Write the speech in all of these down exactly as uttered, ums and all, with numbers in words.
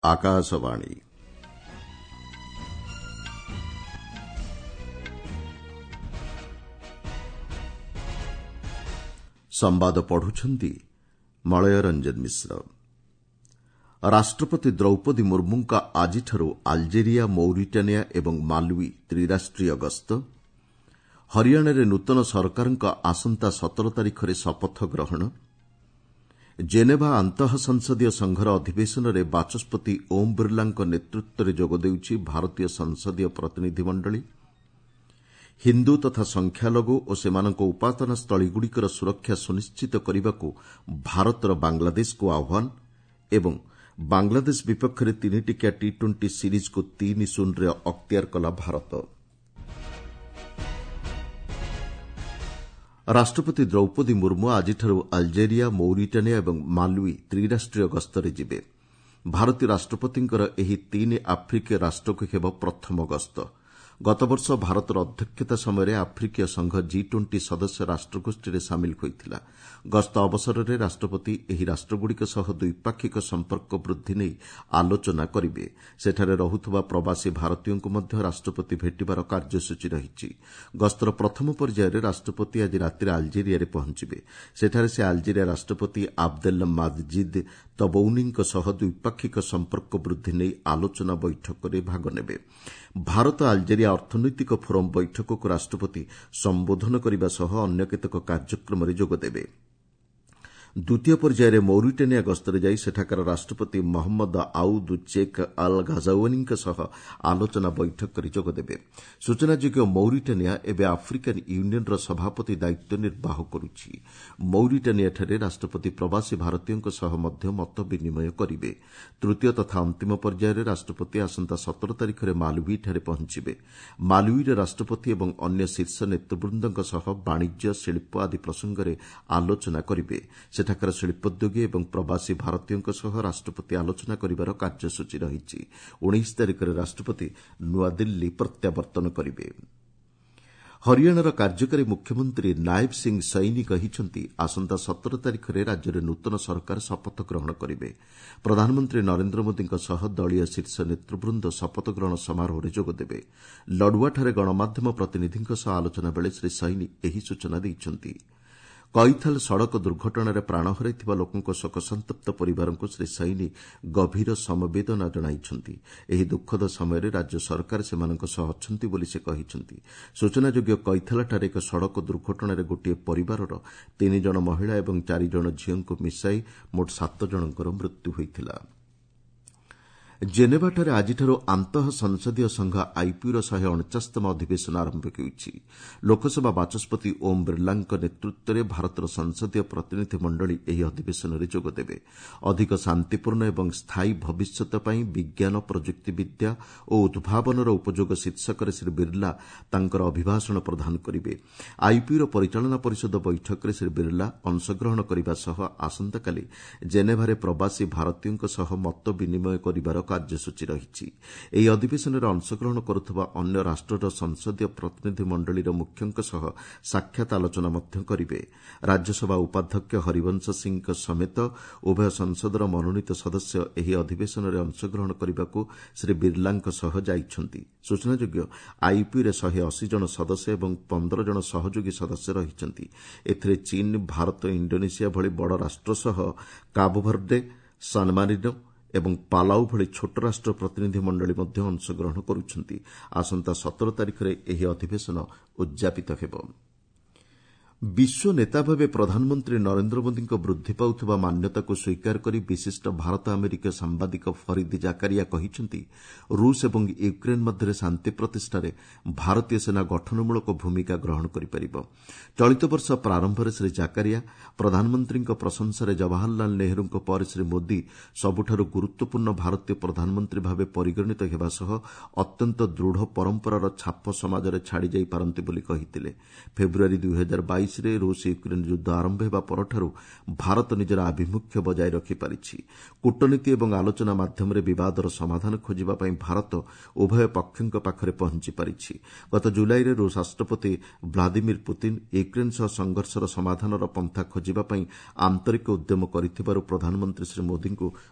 ଆକାଶବାଣୀ। ସମ୍ବାଦ ପଢୁଛନ୍ତି ମଳୟ ରଞ୍ଜନ ମିଶ୍ର। ରାଷ୍ଟ୍ରପତି ଦ୍ରୌପଦୀ ମୁର୍ମୁଙ୍କ ଆଜିଠାରୁ ଆଲଜେରିଆ, ମୌରିଟାନିଆ ଏବଂ ମାଲୱି ତ୍ରିରାଷ୍ଟ୍ରୀୟ ଗସ୍ତ। ହରିୟାଣାରେ ନୂତନ ସରକାରଙ୍କ ଆସନ୍ତା ସତର ତାରିଖରେ ଶପଥ ଗ୍ରହଣ। ଜେନେଭା ଆନ୍ତଃ ସଂସଦୀୟ ସଂଘର ଅଧିବେଶନରେ ବାଚସ୍ପତି ଓମ୍ ବିର୍ଲାଙ୍କ ନେତୃତ୍ୱରେ ଯୋଗଦେଉଛି ଭାରତୀୟ ସଂସଦୀୟ ପ୍ରତିନିଧି ମଣ୍ଡଳୀ। ହିନ୍ଦୁ ତଥା ସଂଖ୍ୟାଲଘୁ ଓ ସେମାନଙ୍କ ଉପାସନାସ୍ଥଳୀଗୁଡ଼ିକର ସୁରକ୍ଷା ସୁନିଶ୍ଚିତ କରିବାକୁ ଭାରତର ବାଂଲାଦେଶକୁ ଆହ୍ୱାନ ଏବଂ ବାଂଲାଦେଶ ବିପକ୍ଷରେ ତିନିଟିକିଆ ଟି ଟ୍ୱେଣ୍ଟି ସିରିଜ୍କୁ ତିନି ଶୂନରେ ଅକ୍ତିଆର କଲା ଭାରତ। ରାଷ୍ଟ୍ରପତି ଦ୍ରୌପଦୀ ମୁର୍ମୁ ଆଜିଠାରୁ ଆଲଜେରିଆ, ମୌରିଟାନିଆ ଏବଂ ମାଲୱି ତ୍ରିରାଷ୍ଟ୍ରୀୟ ଗସ୍ତରେ ଯିବେ। ଭାରତୀୟ ରାଷ୍ଟ୍ରପତିଙ୍କର ଏହି ତିନି ଆଫ୍ରିକୀୟ ରାଷ୍ଟ୍ରକୁ ହେବ ପ୍ରଥମ ଗସ୍ତ। ଗତବର୍ଷ ଭାରତର ଅଧ୍ୟକ୍ଷତା ସମୟରେ ଆଫ୍ରିକୀୟ ସଂଘ ଜି ଟ୍ୱେଣ୍ଟି ସଦସ୍ୟ ରାଷ୍ଟ୍ରଗୋଷ୍ଠୀରେ ସାମିଲ ହୋଇଥିଲା। ଗସ୍ତ ଅବସରରେ ରାଷ୍ଟ୍ରପତି ଏହି ରାଷ୍ଟ୍ରଗୁଡ଼ିକ ସହ ଦ୍ୱିପାକ୍ଷିକ ସମ୍ପର୍କ ବୃଦ୍ଧି ନେଇ ଆଲୋଚନା କରିବେ। ସେଠାରେ ରହୁଥିବା ପ୍ରବାସୀ ଭାରତୀୟଙ୍କୁ ମଧ୍ୟ ରାଷ୍ଟ୍ରପତି ଭେଟିବାର କାର୍ଯ୍ୟସୂଚୀ ରହିଛି। ଗସ୍ତର ପ୍ରଥମ ପର୍ଯ୍ୟାୟରେ ରାଷ୍ଟ୍ରପତି ଆଜି ରାତିରେ ଆଲଜେରିଆରେ ପହଞ୍ଚିବେ। ସେଠାରେ ସେ ଆଲଜେରିଆ ରାଷ୍ଟ୍ରପତି ଆବଦେଲ ମାଜିଦ୍ ତବୌନିଙ୍କ ସହ ଦ୍ୱିପାକ୍ଷିକ ସମ୍ପର୍କ ବୃଦ୍ଧି ନେଇ ଆଲୋଚନା ବୈଠକରେ ଭାଗ ନେବେ। ଭାରତ ଆଲଜେରିଆ ଅର୍ଥନୈତିକ ଫୋରମ୍ ବୈଠକକୁ ରାଷ୍ଟ୍ରପତି ସମ୍ବୋଧନ କରିବା ସହ ଅନ୍ୟ କେତେକ କାର୍ଯ୍ୟକ୍ରମରେ ଯୋଗଦେବେ। ଦ୍ୱିତୀୟ ପର୍ଯ୍ୟାୟରେ ମୌରିଟାନିଆ ଗସ୍ତରେ ଯାଇ ସେଠାକାର ରାଷ୍ଟ୍ରପତି ମହମ୍ମଦ ଆଉଦ୍ ଚେକ୍ ଅଲ୍ ଘାଜାଓ୍ୱାନିଙ୍କ ସହ ଆଲୋଚନା ବୈଠକରେ ଯୋଗଦେବେ। ସୂଚନାଯୋଗ୍ୟ, ମୌରିଟାନିଆ ଏବେ ଆଫ୍ରିକାନ୍ ୟୁନିୟନ୍ର ସଭାପତି ଦାୟିତ୍ୱ ନିର୍ବାହ କରୁଛି। ମୌରିଟାନିଆଠାରେ ରାଷ୍ଟ୍ରପତି ପ୍ରବାସୀ ଭାରତୀୟଙ୍କ ସହ ମଧ୍ୟ ମତ ବିନିମୟ କରିବେ। ତୃତୀୟ ତଥା ଅନ୍ତିମ ପର୍ଯ୍ୟାୟରେ ରାଷ୍ଟ୍ରପତି ଆସନ୍ତା ସତର ତାରିଖରେ ମାଲୱିଠାରେ ପହଞ୍ଚିବେ। ମାଲୱିର ରାଷ୍ଟ୍ରପତି ଏବଂ ଅନ୍ୟ ଶୀର୍ଷ ନେତୃବୃନ୍ଦଙ୍କ ସହ ବାଣିଜ୍ୟ, ଶିଳ୍ପ ଆଦି ପ୍ରସଙ୍ଗରେ ଆଲୋଚନା କରିବେ। ସେଠାକାର ଶିଳ୍ପୋଦ୍ୟୋଗୀ ଏବଂ ପ୍ରବାସୀ ଭାରତୀୟଙ୍କ ସହ ରାଷ୍ଟ୍ରପତି ଆଲୋଚନା କରିବାର କାର୍ଯ୍ୟସୂଚୀ ରହିଛି। ଉଣେଇଶ ତାରିଖରେ ରାଷ୍ଟ୍ରପତି ନୂଆଦିଲ୍ଲୀ ପ୍ରତ୍ୟାବର୍ତ୍ତନ କରିବେ। ହରିୟାଣାର କାର୍ଯ୍ୟକାରୀ ମୁଖ୍ୟମନ୍ତ୍ରୀ ନାଏବ ସିଂ ସୈନି କହିଛନ୍ତି, ଆସନ୍ତା ସତର ତାରିଖରେ ରାଜ୍ୟରେ ନୂତନ ସରକାର ଶପଥ ଗ୍ରହଣ କରିବେ। ପ୍ରଧାନମନ୍ତ୍ରୀ ନରେନ୍ଦ୍ର ମୋଦିଙ୍କ ସହ ଦଳୀୟ ଶୀର୍ଷ ନେତୃବୃନ୍ଦ ଶପଥ ଗ୍ରହଣ ସମାରୋହରେ ଯୋଗଦେବେ। ଲଡୁଆଠାରେ ଗଣମାଧ୍ୟମ ପ୍ରତିନିଧିଙ୍କ ସହ ଆଲୋଚନା ବେଳେ ଶ୍ରୀ ସୈନି ଏହି ସୂଚନା ଦେଇଛନ୍ତି। କଇଥାଲ ସଡ଼କ ଦୁର୍ଘଟଣାରେ ପ୍ରାଣ ହରାଇଥିବା ଲୋକଙ୍କ ଶୋକସନ୍ତପ୍ତ ପରିବାରଙ୍କୁ ଶ୍ରୀ ସୈନି ଗଭୀର ସମବେଦନା ଜଣାଇଛନ୍ତି। ଏହି ଦୁଃଖଦ ସମୟରେ ରାଜ୍ୟ ସରକାର ସେମାନଙ୍କ ସହ ଅଛନ୍ତି ବୋଲି ସେ କହିଛନ୍ତି। ସୂଚନାଯୋଗ୍ୟ, କଇଥାଲଠାରେ ଏକ ସଡ଼କ ଦୁର୍ଘଟଣାରେ ଗୋଟିଏ ପରିବାରର ତିନି ଜଣ ମହିଳା ଏବଂ ଚାରି ଜଣ ଝିଅଙ୍କୁ ମିଶାଇ ମୋଟ ସାତ ଜଣଙ୍କର ମୃତ୍ୟୁ ହୋଇଥିଲା। ଜେନେଭାଠାରେ ଆଜିଠାରୁ ଆନ୍ତଃ ସଂସଦୀୟ ସଂଘ ଆଇପିୟୁର ଶହେ ଅଣଚାଶତମ ଅଧିବେଶନ ଆରମ୍ଭ ହେଉଛି। ଲୋକସଭା ବାଚସ୍ପତି ଓମ୍ ବିର୍ଲାଙ୍କ ନେତୃତ୍ୱରେ ଭାରତର ସଂସଦୀୟ ପ୍ରତିନିଧି ମଣ୍ଡଳୀ ଏହି ଅଧିବେଶନରେ ଯୋଗଦେବେ। ଅଧିକ ଶାନ୍ତିପୂର୍ଣ୍ଣ ଏବଂ ସ୍ଥାୟୀ ଭବିଷ୍ୟତ ପାଇଁ ବିଜ୍ଞାନ, ପ୍ରଯୁକ୍ତିବିଦ୍ୟା ଓ ଉଦ୍ଭାବନର ଉପଯୋଗ ଶୀର୍ଷକରେ ଶ୍ରୀ ବିର୍ଲା ତାଙ୍କର ଅଭିଭାଷଣ ପ୍ରଦାନ କରିବେ। ଆଇପିୟୁର ପରିଚାଳନା ପରିଷଦ ବୈଠକରେ ଶ୍ରୀ ବିର୍ଲା ଅଂଶଗ୍ରହଣ କରିବା ସହ ଆସନ୍ତାକାଲି ଜେନେଭାରେ ପ୍ରବାସୀ ଭାରତୀୟଙ୍କ ସହ ମତ ବିନିମୟ କରିବାର କାର୍ଯ୍ୟସୂଚୀ ରହିଛି। ଏହି ଅଧିବେଶନରେ ଅଂଶଗ୍ରହଣ କରୁଥିବା ଅନ୍ୟ ରାଷ୍ଟ୍ରର ସଂସଦୀୟ ପ୍ରତିନିଧି ମଣ୍ଡଳୀର ମୁଖ୍ୟଙ୍କ ସହ ସାକ୍ଷାତ ଆଲୋଚନା ମଧ୍ୟ କରିବେ। ରାଜ୍ୟସଭା ଉପାଧ୍ୟକ୍ଷ ହରିବଂଶ ସିଂଙ୍କ ସମେତ ଉଭୟ ସଂସଦର ମନୋନୀତ ସଦସ୍ୟ ଏହି ଅଧିବେଶନରେ ଅଂଶଗ୍ରହଣ କରିବାକୁ ଶ୍ରୀ ବିର୍ଲାଙ୍କ ସହ ଯାଇଛନ୍ତି। ସୂଚନାଯୋଗ୍ୟ, ଆଇପିୟୁରେ ଶହେ ଅଶୀ ଜଣ ସଦସ୍ୟ ଏବଂ ପନ୍ଦର ଜଣ ସହଯୋଗୀ ସଦସ୍ୟ ରହିଛନ୍ତି। ଏଥିରେ ଚୀନ୍, ଭାରତ, ଇଣ୍ଡୋନେସିଆ ଭଳି ବଡ଼ ରାଷ୍ଟ୍ର ସହ କାବୋଭର୍ଡେ, ସାନମାରିନୋ ଏବଂ ପାଲାଉ ଭଳି ଛୋଟ ରାଷ୍ଟ୍ର ପ୍ରତିନିଧି ମଣ୍ଡଳୀ ମଧ୍ୟ ଅଂଶଗ୍ରହଣ କରୁଛନ୍ତି। ଆସନ୍ତା ସତର ତାରିଖରେ ଏହି ଅଧିବେଶନ ଉଦ୍ଯାପିତ ହେବ। ବିଶ୍ୱ ନେତା ଭାବେ ପ୍ରଧାନମନ୍ତ୍ରୀ ନରେନ୍ଦ୍ର ମୋଦିଙ୍କ ବୃଦ୍ଧି ପାଉଥିବା ମାନ୍ୟତାକୁ ସ୍ୱୀକାର କରି ବିଶିଷ୍ଟ ଭାରତ ଆମେରିକୀୟ ସାମ୍ବାଦିକ ଫରିଦ ଜାକାରିଆ କହିଛନ୍ତି, ରୁଷ ଏବଂ ୟୁକ୍ରେନ୍ ମଧ୍ୟରେ ଶାନ୍ତି ପ୍ରତିଷ୍ଠାରେ ଭାରତୀୟ ସେନା ଗଠନମୂଳକ ଭୂମିକା ଗ୍ରହଣ କରିପାରିବ। ଚଳିତ ବର୍ଷ ପ୍ରାରମ୍ଭରେ ଶ୍ରୀ ଜାକାରିଆ ପ୍ରଧାନମନ୍ତ୍ରୀଙ୍କ ପ୍ରଶଂସାରେ ଜବାହରଲାଲ ନେହେରୁଙ୍କ ପରେ ଶ୍ରୀ ମୋଦି ସବୁଠାରୁ ଗୁରୁତ୍ୱପୂର୍ଣ୍ଣ ଭାରତୀୟ ପ୍ରଧାନମନ୍ତ୍ରୀ ଭାବେ ପରିଗଣିତ ହେବା ସହ ଅତ୍ୟନ୍ତ ଦୃଢ଼ ପରମ୍ପରାର ଛାପ ସମାଜରେ ଛାଡ଼ିଯାଇପାରନ୍ତି ବୋଲି କହିଥିଲେ। ଫେବୃୟାରୀ ଦୁଇ ହଜାର ବାଇଶ ବାଇଶରେ ରୁଷ ୟୁକ୍ରେନ୍ ଯୁଦ୍ଧ ଆରମ୍ଭ ହେବା ପରଠାରୁ ଭାରତ ନିଜର ଆଭିମୁଖ୍ୟ ବଜାୟ ରଖିପାରିଛି। କୂଟନୀତି ଏବଂ ଆଲୋଚନା ମାଧ୍ୟମରେ ବିବାଦର ସମାଧାନ ଖୋଜିବା ପାଇଁ ଭାରତ ଉଭୟ ପକ୍ଷଙ୍କ ପାଖରେ ପହଞ୍ଚି ପାରିଛି। ଗତ ଜୁଲାଇରେ ରୁଷ ରାଷ୍ଟ୍ରପତି ଭ୍ଲାଦିମିର୍ ପୁତିନ୍ ୟୁକ୍ରେନ୍ ସହ ସଂଘର୍ଷର ସମାଧାନର ପନ୍ଥା ଖୋଜିବା ପାଇଁ ଆନ୍ତରିକ ଉଦ୍ୟମ କରିଥିବାରୁ ପ୍ରଧାନମନ୍ତ୍ରୀ ଶ୍ରୀ ମୋଦିଙ୍କୁ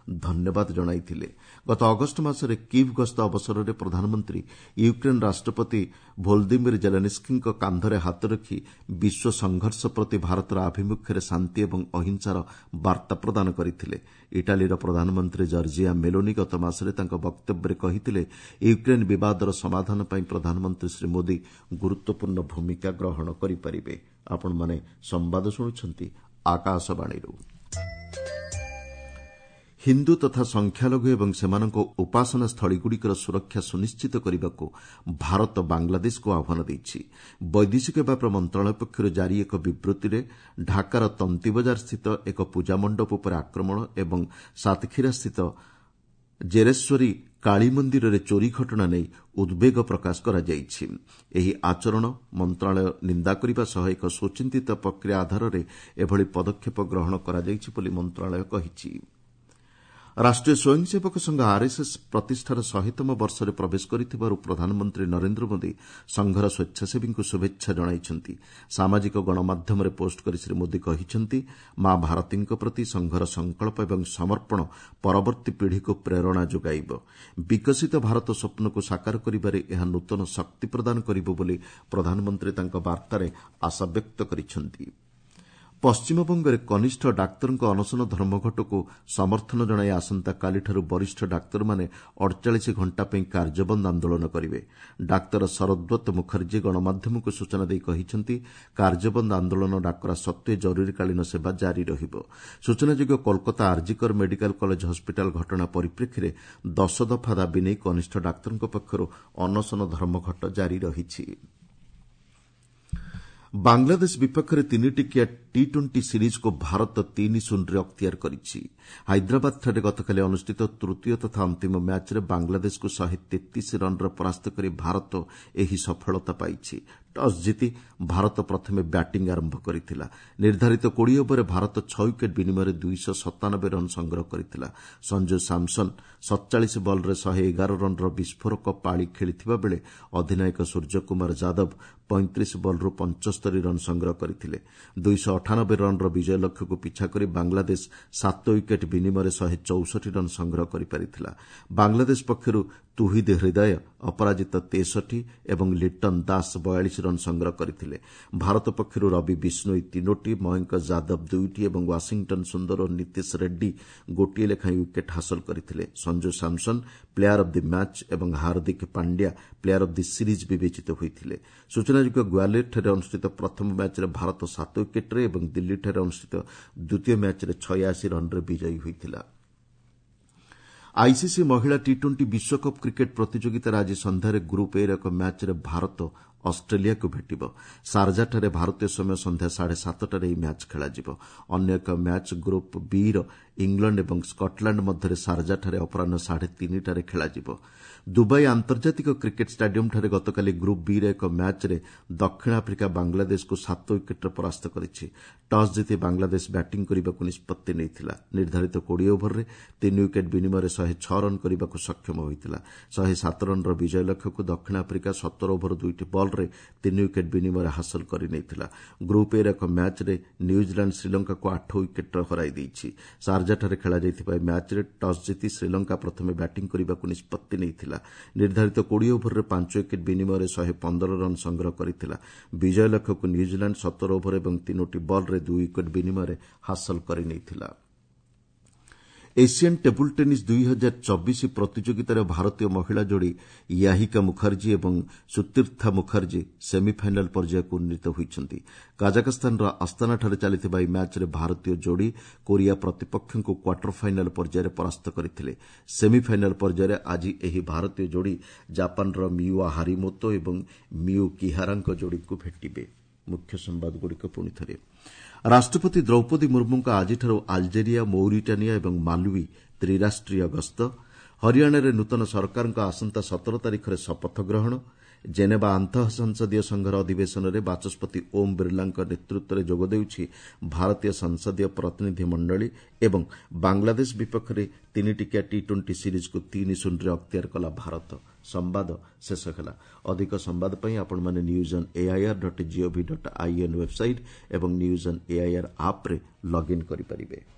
ଧନ୍ୟବାଦ ଜଣାଇଥିଲେ। ଗତ ଅଗଷ୍ଟ ମାସରେ କିଭ୍ ଗସ୍ତ ଅବସରରେ ପ୍ରଧାନମନ୍ତ୍ରୀ ୟୁକ୍ରେନ୍ ରାଷ୍ଟ୍ରପତି ଭୋଲଦିମିର୍ ଜେଲେନ୍ସ୍କିଙ୍କ କାନ୍ଧରେ ହାତ ରଖି ବିଶ୍ୱ ସଂଘର୍ଷ ପ୍ରତି ଭାରତର ଆଭିମୁଖ୍ୟରେ ଶାନ୍ତି ଏବଂ ଅହିଂସାର ବାର୍ତ୍ତା ପ୍ରଦାନ କରିଥିଲେ। ଇଟାଲୀର ପ୍ରଧାନମନ୍ତ୍ରୀ ଜର୍ଜିଆ ମେଲୋନି ଗତ ମାସରେ ତାଙ୍କ ବକ୍ତବ୍ୟରେ କହିଥିଲେ, ୟୁକ୍ରେନ୍ ବିବାଦର ସମାଧାନ ପାଇଁ ପ୍ରଧାନମନ୍ତ୍ରୀ ଶ୍ରୀ ମୋଦି ଗୁରୁତ୍ୱପୂର୍ଣ୍ଣ ଭୂମିକା ଗ୍ରହଣ କରିପାରିବେ। ଆପଣମାନେ ସମ୍ବାଦ ଶୁଣୁଛନ୍ତି ଆକାଶବାଣୀରୁ। ହିନ୍ଦୁ ତଥା ସଂଖ୍ୟାଲଘୁ ଏବଂ ସେମାନଙ୍କ ଉପାସନା ସ୍ଥଳୀଗୁଡ଼ିକର ସୁରକ୍ଷା ସୁନିଶ୍ଚିତ କରିବାକୁ ଭାରତ ବାଂଲାଦେଶକୁ ଆହ୍ୱାନ ଦେଇଛି। ବୈଦେଶିକ ବ୍ୟାପାର ମନ୍ତ୍ରଣାଳୟ ପକ୍ଷରୁ ଜାରି ଏକ ବିବୃତ୍ତିରେ ଢାକାର ତନ୍ତିବଜାରସ୍ଥିତ ଏକ ପୂଜାମଣ୍ଡପ ଉପରେ ଆକ୍ରମଣ ଏବଂ ସାତକ୍ଷୀରାସ୍ଥିତ ଜେରେଶ୍ୱରୀ କାଳୀ ମନ୍ଦିରରେ ଚୋରି ଘଟଣା ନେଇ ଉଦ୍ବେଗ ପ୍ରକାଶ କରାଯାଇଛି। ଏହି ଆଚରଣ ମନ୍ତ୍ରଣାଳୟ ନିନ୍ଦା କରିବା ସହ ଏକ ସୁଚିନ୍ତିତ ପ୍ରକ୍ରିୟା ଆଧାରରେ ଏଭଳି ପଦକ୍ଷେପ ଗ୍ରହଣ କରାଯାଇଛି ବୋଲି ମନ୍ତ୍ରଣାଳୟ କହିଛି। ରାଷ୍ଟ୍ରୀୟ ସ୍ୱୟଂସେବକ ସଂଘ ଆର୍ଏସ୍ଏସ୍ ପ୍ରତିଷ୍ଠାର ଶହେତମ ବର୍ଷରେ ପ୍ରବେଶ କରିଥିବାରୁ ପ୍ରଧାନମନ୍ତ୍ରୀ ନରେନ୍ଦ୍ର ମୋଦି ସଂଘର ସ୍ୱେଚ୍ଛାସେବୀଙ୍କୁ ଶୁଭେଚ୍ଛା ଜଣାଇଛନ୍ତି। ସାମାଜିକ ଗଣମାଧ୍ୟମରେ ପୋଷ୍ଟ କରି ଶ୍ରୀ ମୋଦି କହିଛନ୍ତି, ମା ଭାରତୀଙ୍କ ପ୍ରତି ସଂଘର ସଂକଳ୍ପ ଏବଂ ସମର୍ପଣ ପରବର୍ତ୍ତୀ ପିଢ଼ିକୁ ପ୍ରେରଣା ଯୋଗାଇବ। ବିକଶିତ ଭାରତ ସ୍ୱପ୍ନକୁ ସାକାର କରିବାରେ ଏହା ନୂତନ ଶକ୍ତି ପ୍ରଦାନ କରିବ ବୋଲି ପ୍ରଧାନମନ୍ତ୍ରୀ ତାଙ୍କ ବାର୍ତ୍ତାରେ ଆଶାବ୍ୟକ୍ତ କରିଛନ୍ତି। ପଶ୍ଚିମବଙ୍ଗରେ କନିଷ୍ଠ ଡାକ୍ତରଙ୍କ ଅନଶନ ଧର୍ମଘଟକୁ ସମର୍ଥନ ଜଣାଇ ଆସନ୍ତାକାଲିଠାରୁ ବରିଷ୍ଠ ଡାକ୍ତରମାନେ ଅଡ଼ଚାଳିଶ ଘଣ୍ଟା ପାଇଁ କାର୍ଯ୍ୟବନ୍ଦ ଆନ୍ଦୋଳନ କରିବେ। ଡାକ୍ତର ଶରଦ୍ବତ ମୁଖାର୍ଜୀ ଗଣମାଧ୍ୟମକୁ ସୂଚନା ଦେଇ କହିଛନ୍ତି, କାର୍ଯ୍ୟବନ୍ଦ ଆନ୍ଦୋଳନ ଡାକରା ସତ୍ତ୍ୱେ ଜରୁରୀକାଳୀନ ସେବା ଜାରି ରହିବ। ସୂଚନାଯୋଗ୍ୟ, Kolkata RG Kar medical college hospital ଘଟଣା ପରିପ୍ରେକ୍ଷୀରେ ଦଶ ଦଫା ଦାବି ନେଇ କନିଷ୍ଠ ଡାକ୍ତରଙ୍କ ପକ୍ଷରୁ ଅନଶନ ଧର୍ମଘଟ ଜାରି ରହିଛି। ବାଂଲାଦେଶ ବିପକ୍ଷରେ ତିନିଟିକିଆ ଟି ଟ୍ୱେଣ୍ଟି ସିରିଜ୍କୁ ଭାରତ ତିନି ଶୂନରେ ଅକ୍ତିଆର କରିଛି। ହାଇଦ୍ରାବାଦଠାରେ ଗତକାଲି ଅନୁଷ୍ଠିତ ତୃତୀୟ ତଥା ଅନ୍ତିମ ମ୍ୟାଚ୍ରେ ବାଂଲାଦେଶକୁ ଶହେ ତେତିଶ ରନ୍ରେ ପରାସ୍ତ କରି ଭାରତ ଏହି ସଫଳତା ପାଇଛି। ଟସ୍ ଜିତି ଭାରତ ପ୍ରଥମେ ବ୍ୟାଟିଂ ଆରମ୍ଭ କରିଥିଲା। ନିର୍ଦ୍ଧାରିତ କୋଡ଼ିଏ ଓଭରରେ ଭାରତ ଛଅ ୱିକେଟ୍ ବିନିମୟରେ ଦୁଇଶହ ସତାନବେ ରନ୍ ସଂଗ୍ରହ କରିଥିଲା। ସଞ୍ଜୁ ସାମ୍ସନ୍ ସତଚାଳିଶ ବଲ୍ରେ ଶହେ ଏଗାର ରନ୍ର ବିସ୍ଫୋରକ ପାଳି ଖେଳିଥିବା ବେଳେ ଅଧିନାୟକ ସୂର୍ଯ୍ୟକୁମାର ଯାଦବ ପଇଁତିରିଶ ବଲ୍ରୁ ପଞ୍ଚସ୍ତରୀ ରନ୍ ସଂଗ୍ରହ କରିଥିଲେ। ଦୁଇଶହ ଅଠାନବେ ରନ୍ର ବିଜୟ ଲକ୍ଷ୍ୟକୁ ପିଛା କରି ବାଂଲାଦେଶ ସାତ ୱିକେଟ୍ ବିନିମୟରେ ଶହେ ଚଉଷଠି ରନ୍ ସଂଗ୍ରହ କରିପାରିଥିଲା। ବାଂଲାଦେଶ ପକ୍ଷରୁ ତୁହିଦ ହୃଦୟ ଅପରାଜିତ ତେଷଠି ଏବଂ ଲିଟନ ଦାସ ବୟାଳିଶ ରନ୍ ସଂଗ୍ରହ କରିଥିଲେ। ଭାରତ ପକ୍ଷରୁ ରବି ବିଷ୍ଣୋଇ ତିନୋଟି, ମୟଙ୍କ ଯାଦବ ଦୁଇଟି ଏବଂ ୱାଶିଂଟନ ସୁନ୍ଦର ଓ ନୀତିଶ ରେଡ୍ଡୀ ଗୋଟିଏ ଲେଖାଏଁ ୱିକେଟ୍ ହାସଲ କରିଥିଲେ। Sanju Samson player of the match ଏବଂ Hardik Pandya player of the series ବିବେଚିତ ହୋଇଥିଲେ। ସୂଚନାଯୋଗ୍ୟ, ଗ୍ୱାଲିୟରଠାରେ ଅନୁଷ୍ଠିତ ପ୍ରଥମ ମ୍ୟାଚ୍ରେ ଭାରତ ସାତ ୱିକେଟ୍ରେ ଏବଂ ଦିଲ୍ଲୀଠାରେ ଅନୁଷ୍ଠିତ ଦ୍ୱିତୀୟ ମ୍ୟାଚ୍ରେ ଛୟାଅଶୀ ରନ୍ରେ ବିଜୟୀ ହୋଇଥିଲା। ଆଇସିସି ମହିଳା ଟି ଟ୍ୱେଣ୍ଟି ବିଶ୍ୱକପ୍ କ୍ରିକେଟ୍ ପ୍ରତିଯୋଗିତାରେ ଆଜି ସନ୍ଧ୍ୟାରେ ଗ୍ରୁପ୍ ଏର ଏକ ମ୍ୟାଚ୍ରେ ଭାରତ ଅଷ୍ଟ୍ରେଲିଆକୁ ଭେଟିବ। ସାରଜାଠାରେ ଭାରତୀୟ ସମୟ ସନ୍ଧ୍ୟା ସାଢ଼େ ସାତଟାରେ ଏହି ମ୍ୟାଚ୍ ଖେଳାଯିବ। ଅନ୍ୟ ଏକ ମ୍ୟାଚ୍ ଗ୍ରୁପ୍ ବିର ଇଂଲଣ୍ଡ ଏବଂ ସ୍କଟଲାଣ୍ଡ ମଧ୍ୟରେ ସାରଜାଠାରେ ଅପରାହ୍ନ ସାଢ଼େ ତିନିଟାରେ ଖେଳାଯିବ। ଦୁବାଇ ଆନ୍ତର୍ଜାତିକ କ୍ରିକେଟ୍ ଷ୍ଟାଡିୟମ୍ଠାରେ ଗତକାଲି ଗ୍ରୁପ୍ ବିର ଏକ ମ୍ୟାଚ୍ରେ ଦକ୍ଷିଣ ଆଫ୍ରିକା ବାଂଲାଦେଶକୁ ସାତ ୱିକେଟ୍ରେ ପରାସ୍ତ କରିଛି। ଟସ୍ ଜିତି ବାଂଲାଦେଶ ବ୍ୟାଟିଂ କରିବାକୁ ନିଷ୍ପତ୍ତି ନେଇଥିଲା। ନିର୍ଦ୍ଧାରିତ କୋଡ଼ିଏ ଓଭରରେ ତିନି ୱିକେଟ୍ ବିନିମୟରେ ଶହେ ଛଅ ରନ୍ କରିବାକୁ ସକ୍ଷମ ହୋଇଥିଲା। ଶହେ ସାତ ରନ୍ର ବିଜୟ ଲକ୍ଷ୍ୟକୁ ଦକ୍ଷିଣ ଆଫ୍ରିକା ସତର ଓଭର ଦୁଇଟି ବଲ୍ରେ ତିନି ୱିକେଟ୍ ବିନିମୟରେ ହାସଲ କରିନେଇଥିଲା। ଗ୍ରୁପ୍ ଏର ଏକ ମ୍ୟାଚ୍ରେ ନ୍ୟୁଜିଲାଣ୍ଡ ଶ୍ରୀଲଙ୍କାକୁ ଆଠ ୱିକେଟ୍ରେ ହରାଇ ଦେଇଛି। ସାରଜାଠାରେ ଖେଳାଯାଇଥିବା ଏହି ମ୍ୟାଚ୍ରେ ଟସ୍ ଜିତି ଶ୍ରୀଲଙ୍କା ପ୍ରଥମେ ବ୍ୟାଟିଂ କରିବାକୁ ନିଷ୍ପତ୍ତି ନେଇଥିଲା। ନିର୍ଦ୍ଧାରିତ କୋଡ଼ିଏ ଓଭରରେ ପାଞ୍ଚ ୱିକେଟ୍ ବିନିମୟରେ ଶହେ ପନ୍ଦର ରନ୍ ସଂଗ୍ରହ କରିଥିଲା। ବିଜୟ ଲକ୍ଷ୍ୟକୁ ନ୍ୟୁଜିଲାଣ୍ଡ ସତର ଓଭର ଏବଂ ତିନୋଟି ବଲ୍ରେ ଦୁଇ ୱିକେଟ୍ ବିନିମୟରେ ହାସଲ କରିନେଇଥିଲା। ଏସିଆନ୍ ଟେବୁଲ୍ ଟେନିସ୍ ଦୁଇ ହଜାର ଚବିଶ ପ୍ରତିଯୋଗିତାରେ ଭାରତୀୟ ମହିଳା ଯୋଡ଼ି ୟାହିକା ମୁଖାର୍ଜୀ ଏବଂ ସୁତୀର୍ଥା ମୁଖାର୍ଜୀ ସେମିଫାଇନାଲ୍ ପର୍ଯ୍ୟାୟକୁ ଉନ୍ନୀତ ହୋଇଛନ୍ତି। କାଜାଖସ୍ତାନର ଆସ୍ତାନାଠାରେ ଚାଲିଥିବା ଏହି ମ୍ୟାଚ୍ରେ ଭାରତୀୟ ଯୋଡ଼ି କୋରିଆ ପ୍ରତିପକ୍ଷଙ୍କୁ କ୍ୱାର୍ଟର ଫାଇନାଲ୍ ପର୍ଯ୍ୟାୟରେ ପରାସ୍ତ କରିଥିଲେ। ସେମିଫାଇନାଲ୍ ପର୍ଯ୍ୟାୟରେ ଆଜି ଏହି ଭାରତୀୟ ଯୋଡ଼ି ଜାପାନର ମିୟୁଆ ହାରିମୋତୋ ଏବଂ ମିୟୁ କିହାରାଙ୍କ ଯୋଡ଼ିକୁ ଭେଟିବେ। ମୁଖ୍ୟ ସମ୍ବାଦଗୁଡ଼ିକ ପୁଣି ଥରେ। ରାଷ୍ଟ୍ରପତି ଦ୍ରୌପଦୀ ମୁର୍ମୁଙ୍କ ଆଜିଠାରୁ ଆଲଜେରିଆ, ମୌରିଟାନିଆ ଏବଂ ମାଲୱି ତ୍ରିରାଷ୍ଟ୍ରୀୟ ଗସ୍ତ। ହରିୟାଣାରେ ନୂତନ ସରକାରଙ୍କ ଆସନ୍ତା ସତର ତାରିଖରେ ଶପଥ ଗ୍ରହଣ। ଜେନେବା ଆନ୍ତଃ ସଂସଦୀୟ ସଂଘର ଅଧିବେଶନରେ ବାଚସ୍ପତି ଓମ୍ ବିର୍ଲାଙ୍କ ନେତୃତ୍ୱରେ ଯୋଗ ଦେଉଛି ଭାରତୀୟ ସଂସଦୀୟ ପ୍ରତିନିଧି ମଣ୍ଡଳୀ ଏବଂ ବାଂଲାଦେଶ ବିପକ୍ଷରେ ତିନିଟିକିଆ ଟି ଟ୍ୱେଣ୍ଟି ସିରିଜ୍କୁ ତିନି ଶୂନରେ ଅକ୍ତିଆର କଲା ଭାରତ। ସମ୍ବାଦ ଶେଷ ହେଲା। ଅଧିକ ସମ୍ବାଦ ପାଇଁ ଆପଣମାନେ news on AIR dot gov dot in website ଏବଂ ନ୍ୟୁଜ୍ ଅନ୍ ଏଆଇଆର୍ ଆପ୍ରେ ଲଗ୍ଇନ୍ କରିପାରିବେ।